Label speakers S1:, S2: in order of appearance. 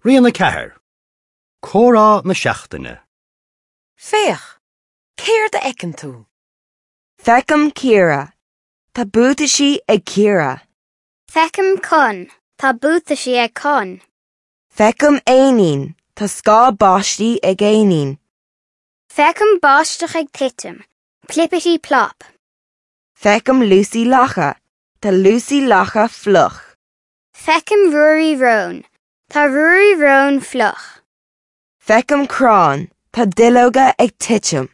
S1: Rian 4, Comhrá na Seachtaine.
S2: Féach! Céard a fheiceann tú?
S3: Feicim Ciara. Tá buataisí ag Ciara.
S4: Feicim Con. Tá buataisí ag Con.
S3: Feicim éinín. Tá scáth báistí ag éinín.
S4: Feicim báisteach ag titim. Plipity plop.
S3: Feicim Lucy Lacha. Tá Lucy Lacha fliuch.
S4: Feicim Ruairí Rón. Tá Ruairí Rón fliuch.
S3: Feicim crann. Tá duilleoga ag titim.